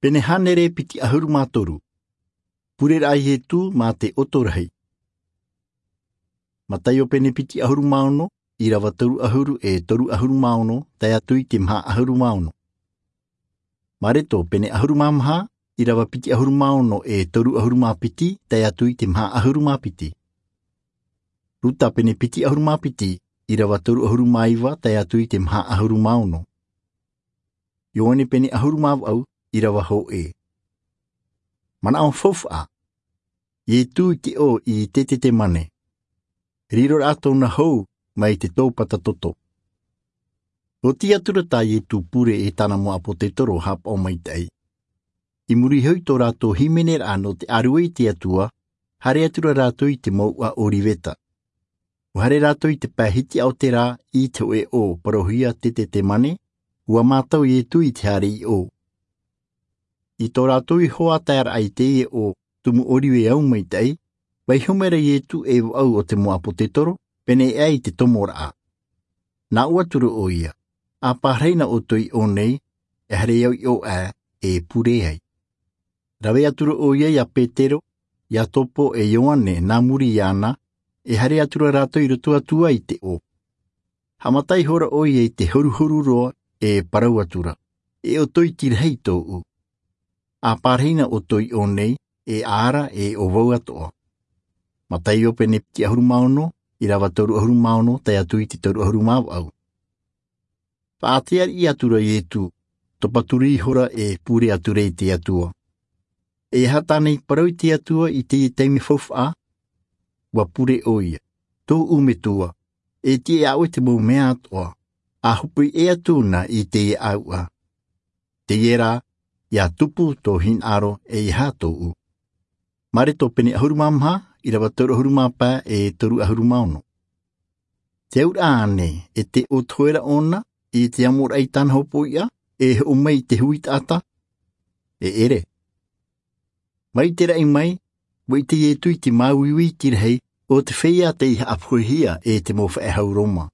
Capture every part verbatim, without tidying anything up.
Pene hānere piti ʻahuru mā toru. Pure raʻa a Ietu mā te ʻoto rahi. Mataio pene piti ʻahuru mā ono, ʻirava toru ʻahuru e toru ʻahuru mā ono, tae atu i te maha ʻahuru mā ono. Mareto pene ʻahuru mā maha, ʻirava piti ʻahuru mā ono e toru ʻahuru mā piti, tae atu i te maha ʻahuru mā piti. Ruta pene piti ʻahuru mā piti, ʻirava toru ʻahuru mā iva, tae atu i te maha ʻahuru mā ono. Ioane pene ʻahuru mā vaʻu, ʻirava hōʻē. Manaʻo faufaʻa. Ietu i te ʻō i Tetetemane. Riro raʻa tōna hou mai te tōpata toto. Oti atura tā Ietu pure e tāna mau ʻāpōsetolo haʻapaʻo maitaʻi. I muri iho i tō rātou hīmene raʻa nō te ʻāruʻe i te Atua, haere atura rātou i te mouʻa ʻOriveta. ʻUa haere rātou i te pae hitiʻa o te rā i te hōʻē ʻō parauhia Tetetemane, ʻua mātau Ietu i te haere i ʻō. I tō rātou iho ā taeraʻa i teie ʻō tumu ʻorive au maitaʻi, vaiiho mai ra Ietu ei vaʻu o te mau ʻāpōsetolo, pēneiaʻe i te tomo raʻa. Nā ʻō atura ʻoia, ʻa pārahi na ʻoutou i ʻō nei, e haere au i ʻō aʻe, e pure ai. Rave atura ʻoia ia Petero, Iakobo e Ioane nā muri iāna, e haere atura rātou i roto atu ai i te ʻō. Haʻamata ihora ʻoia i te horuhoru roa, e parau atura, E ʻoutou i tīrahi tōʻu. ʻA pārahi na ʻoutou i ʻō nei, e ʻaʻara, e ʻo vau atoʻa. Mataio pene piti ʻahuru mā ono, ʻirava toru ʻahuru mā ono, tae atu i te toru ʻahuru mā vaʻu. Faʻaʻite riʻi atura Ietu, topa turi ihora e pure atura i te Atua. E aha tāna i parau i te Atua i teie taime faufaʻa? ʻUa pure ʻoia, Tōʻu Metua, e tiʻa iā ʻoe te mau mea atoʻa, ʻa hopoiʻa atu na i teie ʻāuʻa. Teie rā, ʻia tupu tō hinaʻaro e aha tōʻu. Mareto pene ʻahuru mā maha, ʻirava toru ʻahuru mā pae e toru ʻahuru mā ono. Te auraʻa ānei, e te ʻō toe ra ʻōna, i te amoraʻa i tāna hopoiʻa, e hoʻo mai i te hui taʻata? E ʻere. Mai te raʻi mai, ʻua ʻite Ietu i te māuiui i te rahi, ʻo te feiā tei haʻapohehia e te mau faʻehau Roma.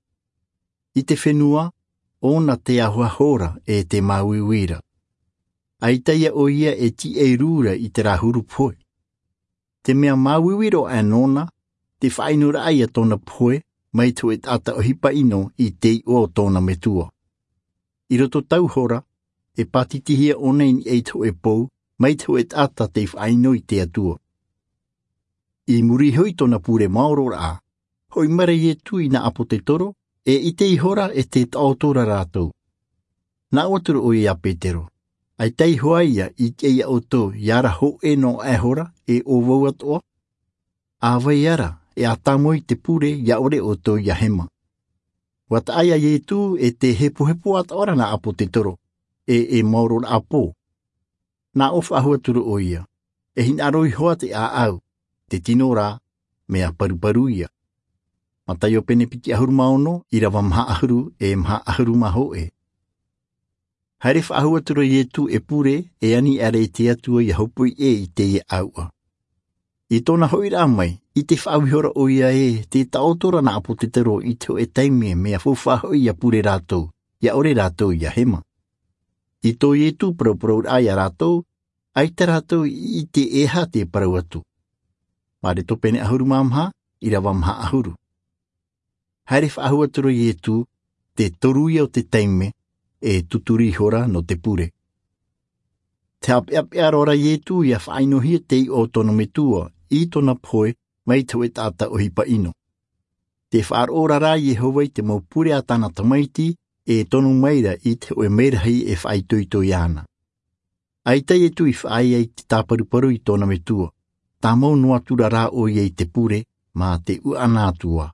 I te fenua, ʻōna te ahoaho ra e te māuiui ra. ʻAita ïa ʻoia e tīaʻi rū ra i terā huru pohe. Te mea māuiui roa aʻe nōna, te faʻaʻino raʻa ia tōna pohe, mai te hōʻē taʻata ʻohipa ʻino i te iʻoa o tōna metua. I roto tau hora, e pātitihia ʻōna i niʻa i te hōʻē pou, mai te hōʻē taʻata tei faʻaʻino i te Atua. I muri iho i tōna pure maoro raʻa, hoʻi mai ra Ietu i nā ʻāpōsetolo, e ʻite ihora e te taʻoto ra rātou. Nā ʻō atura ʻoia iā Petero, ʻAita iho ā ia i tiʻa iā ʻoutou, ʻia ara hōʻē noa aʻe hora, e ʻo vau atoʻa? ʻA vai ara, e ʻa tāmau i te pure, ʻia ʻore ʻoutou ʻia hema. ʻUa taʻa iā Ietu e te hepohepo atoʻa ra nā ʻāpōsetolo, e, e maoro raʻa pō. Nā ʻō faʻahou atura ʻoia, e hinaʻaro iho ā te ʻāʻau, te tino rā, mea paruparu ïa. Mataio pene piti ʻahuru mā ono, ʻirava maha ʻahuru, e maha ʻahuru mā hōʻē. Haere faʻahou atura Ietu e pure, e ani aʻera i te Atua ʻia hopoiʻa i teie ʻāuʻa. I tōna hoʻiraʻa mai, ʻite faʻahou ihora ʻoia ē, te taʻoto ra nā ʻāpōsetolo i te hōʻē taime mea faufaʻa hoʻi ʻia pure rātou, ʻia ʻore rātou ʻia hema. I tō Ietu parauparauraʻa iā rātou, ʻaita rātou i ʻite e aha tē parau atu. Mareto pene ʻahuru mā maha, ʻirava maha ʻahuru. Haere faʻahou atura Ietu, te toru ïa o te taime, e tuturi ihora nō te pure. Tē haʻapeʻapeʻa roa ra Ietu ʻia faʻaʻinohia te iʻoa o tōna metua, i tōna pohe, mai te hōʻē taʻata ʻohipa ʻino. Tē faʻaroʻo ra rā Iehova i te mau pure a tāna tamaiti, e tono mai ra i te hōʻē merahi e faʻaitoito iāna. ʻAita Ietu i faʻaea i te tāparuparu i tōna metua, tāmau noa atura rā ʻoia i te pure, mā te ʻuʻana atu ā.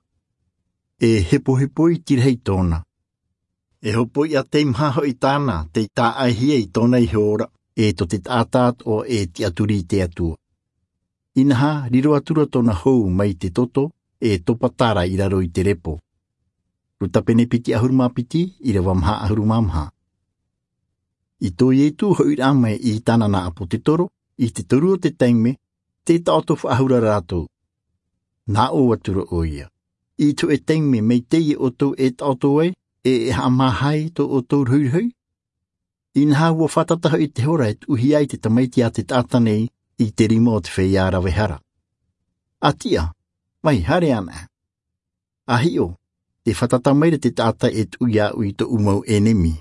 E hepohepo i te rahi tōna. E hopoiʻa teimaha hoʻi tāna, tei tāʻaihia i tōna iho ora, e tō te taʻata atoʻa e tiʻaturi i te Atua. Inaha, riro atura tōna hou mai te toto, e topata ra i raro i te repo. Ruta pene piti ʻahuru mā piti, ʻirava maha ʻahuru mā maha. I tō Ietu hoʻiraʻa mai i tāna nā ʻāpōsetolo, i te toru o te taime, tē taʻoto faʻahou ra rātou. Nā ʻō atura ʻoia, i te hōʻē taime mai teie ʻoutou e taʻoto ai, e, e haʻamāha ai tō ʻoutou rohirohi? Inaha ua fātata hoʻi te hora e tuʻuhia ai te tamaiti a te taʻata nei i te rima o te feiā rave hara. A tiʻa, mai, haere ana. A hiʻo, te fātata maira te taʻata e tuʻu iāʻu i tōʻu mau ʻenemi.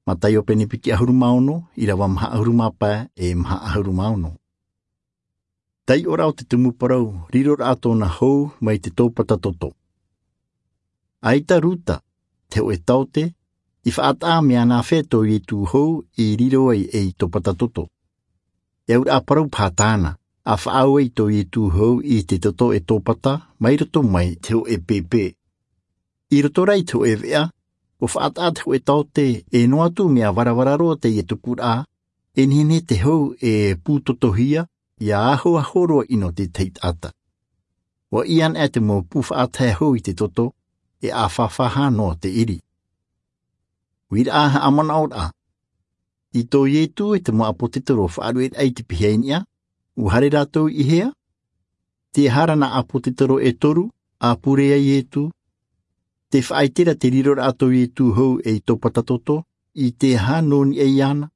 Mataio pene piti ʻahuru mā ono, ʻīrava maha ʻahuru mā pae, e maha ʻahuru mā ono. Taiʻoraʻa o te tumu parau, riroraʻa tōna hou mai te tōpata toto. ʻAita Ruta, te hōʻē taote, i faʻataʻa mea nāfea tō Ietu hou i riro ai ei tōpata toto. E auraʻa parau paha tāna, a faʻaau ai tō Ietu hou i te toto e tōpata mai roto mai te hōʻē pēpē. I roto rā i te hōʻē veʻa, ua faʻataʻa te hōʻē taote e noa atu mea varavara roa teie tupuraʻa, e nehenehe te hou e pūtotohia, ʻia ahoaho roa ʻino te tahi taʻata. Ua ʻī anaʻe te mau pū faʻatae hou i te toto, e ʻāfāfā noa te ʻiri. Uiraʻa haʻamanaʻoraʻa. I tō Ietu e te mau ʻāpōtetoro faʻaruʻeraʻa i te pihaʻi niʻa, ua haere rātou i hea? Te aha ra nā ʻāpōtetoro e toru, a pure ai Ietu? Te faʻaʻite ra te riroraʻa tō Ietu hou ei tōpata toto, i te aha nō niʻa iāna?